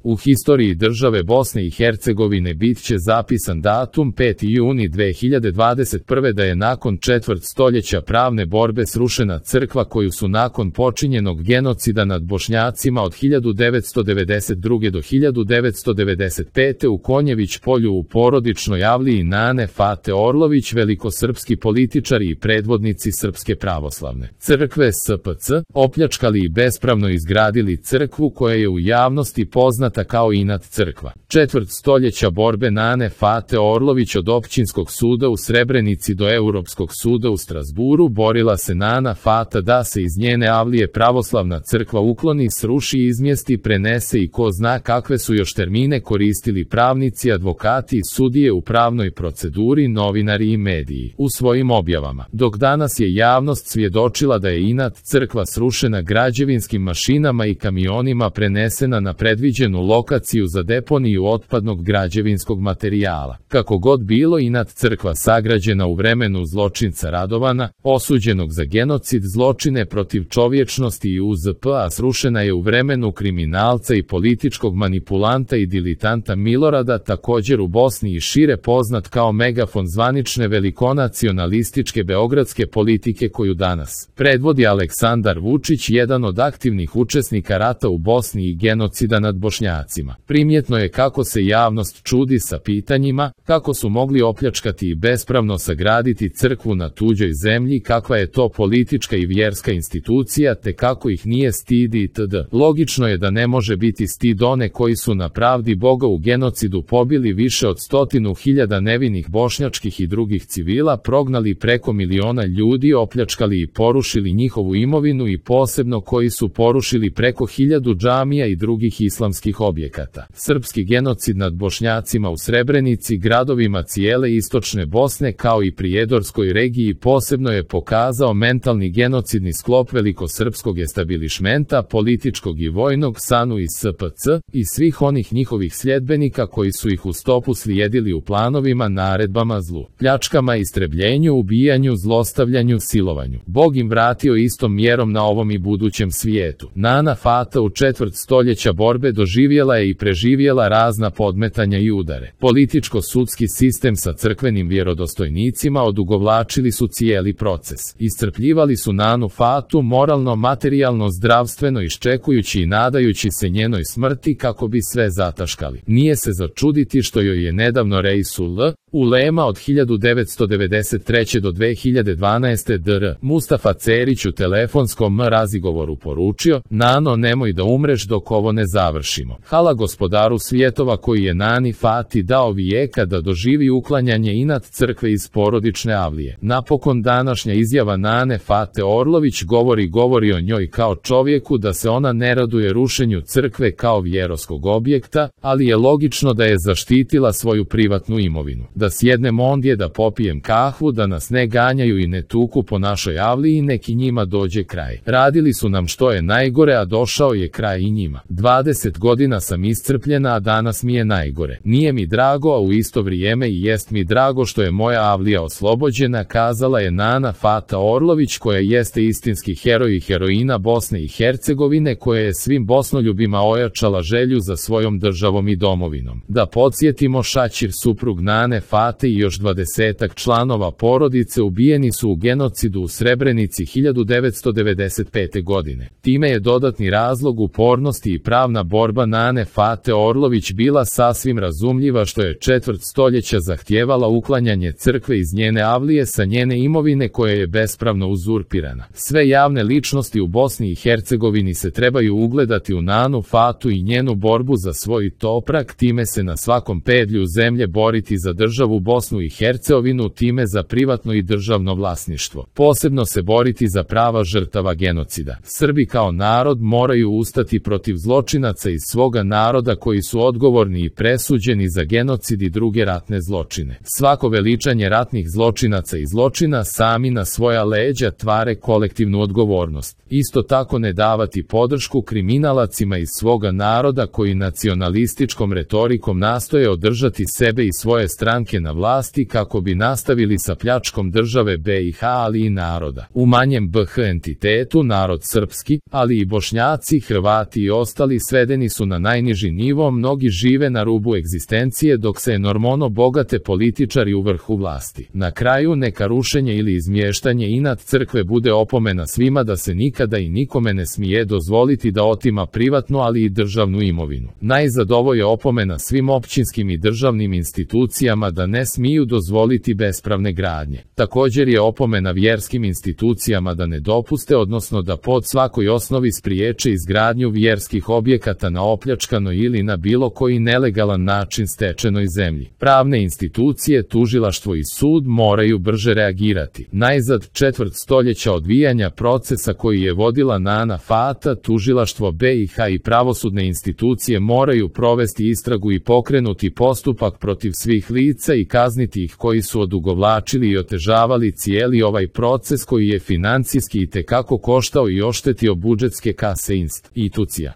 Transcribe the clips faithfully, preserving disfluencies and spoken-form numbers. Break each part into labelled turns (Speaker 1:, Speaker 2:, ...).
Speaker 1: U historiji države Bosne i Hercegovine bit će zapisan datum peti juni dve hiljade dvadeset prve da je nakon četvrt stoljeća pravne borbe srušena crkva koju su nakon počinjenog genocida nad Bošnjacima od hiljadu devetsto devedeset druge do hiljadu devetsto devedeset pete u Konjević polju u porodičnoj avliji Nane Fate Orlović velikosrpski političari i predvodnici Srpske pravoslavne crkve S P C opljačkali i bespravno izgradili crkvu koja je u javnosti poznata kao Inat crkva. Četvrt stoljeća borbe Nane Fate Orlović od općinskog suda u Srebrenici do Europskog suda u Strasburu borila se Nana Fata da se iz njene avlije pravoslavna crkva ukloni, sruši, izmjesti, prenese i ko zna kakve su još termine koristili pravnici, advokati i sudije u pravnoj proceduri, novinari i mediji u svojim objavama. Dok danas je javnost svjedočila da je Inat crkva srušena građevinskim mašinama i kamionima prenesena na predviđenu lokaciju za deponiju otpadnog građevinskog materijala. Kako god bilo, Inat crkva sagrađena u vremenu zločinca Radovana, osuđenog za genocid, zločine protiv čovječnosti i U Z P, a srušena je u vremenu kriminalca i političkog manipulanta i dilitanta Milorada, također u Bosni i šire poznat kao megafon zvanične velikonacionalističke beogradske politike koju danas predvodi Aleksandar Vučić, jedan od aktivnih učesnika rata u Bosni i genocida nad Bošnjacima. Primjetno je kako se javnost čudi sa pitanjima, kako su mogli opljačkati i bespravno sagraditi crkvu na tuđoj zemlji, kakva je to politička i vjerska institucija, te kako ih nije stid itd. Logično je da ne može biti stid one koji su na pravdi Boga u genocidu pobili više od stotinu hiljada nevinih bošnjačkih i drugih civila, prognali preko miliona ljudi, opljačkali i porušili njihovu imovinu i posebno koji su porušili preko hiljadu džamija i drugih islamskih objekata. Srpski genocid nad Bošnjacima u Srebrenici, gradovima cijele istočne Bosne kao i prijedorskoj regiji posebno je pokazao mentalni genocidni sklop velikosrpskog establišmenta, političkog i vojnog, S A N U i S P C i svih onih njihovih sljedbenika koji su ih u stopu slijedili u planovima, naredbama, zlu, pljačkama, istrebljenju, ubijanju, zlostavljanju, silovanju. Bog im vratio istom mjerom na ovom i budućem svijetu. Nana Fata u četvrt stoljeća borbe doživjela je i preživjela razna podmetanja i udare. Političko-sudski sistem sa crkvenim vjerodostojnicima odugovlačili su cijeli proces. Iscrpljivali su Nanu Fatu moralno, materijalno, zdravstveno, iščekujući i nadajući se njenoj smrti kako bi sve zataškali. Nije se začuditi što joj je nedavno Reisul Ulema od hiljadu devetsto devedeset treće do dve hiljade dvanaeste. dr. Mustafa Cerić u telefonskom razgovoru poručio: Nano, nemoj da umreš dok ovo ne završimo. Hala gospodaru svjetova koji je Nani Fati dao vijeka da doživi uklanjanje Inat crkve iz porodične avlije. Napokon današnja izjava Nane Fate Orlović govori govori o njoj kao čovjeku, da se ona ne raduje rušenju crkve kao vjeroskog objekta, ali je logično da je zaštitila svoju privatnu imovinu. Da sjednem ondje, da popijem kahvu, da nas ne ganjaju i ne tuku po našoj avliji, neki njima dođe kraj. Radili su nam što je najgore, a došao je kraj i njima. dvadeset godina sam iscrpljena, a danas mi je najgore. Nije mi drago, a u isto vrijeme i jest mi drago što je moja avlija oslobođena, kazala je Nana Fata Orlović, koja jeste istinski heroj i heroina Bosne i Hercegovine, koja je svim bosnoljubima ojačala želju za svojom državom i domovinom. Da podsjetimo, Šaćir, suprug Nane Fate i još dvadesetak članova porodice ubijeni su u genocidu u Srebrenici hiljadu devetsto devedeset pete. godine. Time je dodatni razlog upornosti i pravna borba Nane Fate Orlović bila sasvim razumljiva, što je četvrt stoljeća zahtijevala uklanjanje crkve iz njene avlije sa njene imovine koja je bespravno uzurpirana. Sve javne ličnosti u Bosni i Hercegovini se trebaju ugledati u Nanu Fatu i njenu borbu za svoj toprak, time se na svakom pedlju zemlje boriti za državu Bosnu i Hercegovinu, time za privatno i državno vlasništvo. Posebno se boriti za prava žrtava genocida. Srbi kao narod moraju ustati protiv zločinaca iz svoga naroda koji su odgovorni i presuđeni za genocid i druge ratne zločine. Svako veličanje ratnih zločinaca i zločina sami na svoja leđa tvare kolektivnu odgovornost. Isto tako ne davati podršku kriminalacima iz svoga naroda koji nacionalističkom retorikom nastoje održati sebe i svoje stranke na vlasti kako bi nastavili sa pljačkom države B i H, ali i naroda. U manjem B H entitetu narod srpski, ali i Bošnjaci, Hrvati i ostali svedeni su na najniži nivo, mnogi žive na rubu egzistencije dok se enormono bogate političari u vrhu vlasti. Na kraju neka rušenje ili izmještanje inat crkve bude opomena svima da se nikada i nikome ne smije dozvoliti da otima privatnu ali i državnu imovinu. Najzad ovo je opomena svim općinskim i državnim institucijama da ne smiju dozvoliti bespravne gradnje. Također je opomena vjerskim institucijama da ne dopuste, odnosno da pod svakoj osnovi spriječe izgradnju vjerskih objekata na opljačkanoj ili na bilo koji nelegalan način stečenoj zemlji. Pravne institucije, tužilaštvo i sud moraju brže reagirati. Najzad četvrt stoljeća odvijanja procesa koji je vodila Nana Fata, tužilaštvo B i H i pravosudne institucije moraju provesti istragu i pokrenuti postupak protiv svih lica i kazniti ih koji su odugovlačili i otežavali cijeli ovaj proces koji je financijski itekako koštao i oštetio budžetske kase institucija.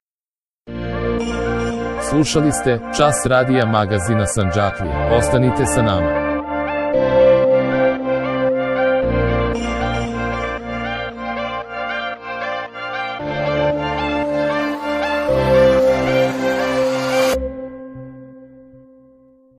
Speaker 1: Slušali ste Čas radija magazina Sandžaklija. Ostanite sa nama.